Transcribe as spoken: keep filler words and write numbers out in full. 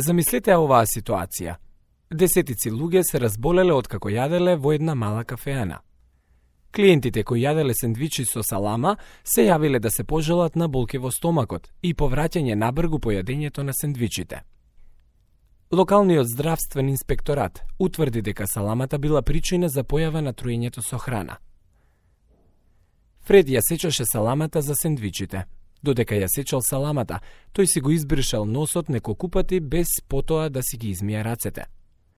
Замислете оваа ситуација. Десетици луѓе се разболеле откако јаделе во една мала кафеана. Клиентите кои јаделе сендвичи со салама се јавиле да се пожелат на болки во стомакот и повраќање набргу по јадењето на сендвичите. Локалниот здравствен инспекторат утврди дека саламата била причина за појава на труењето со храна. Фред ја сечеше саламата за сендвичите. Додека ја сечел саламата, тој си го избришал носот неколку пати без потоа да си ги измие рацете.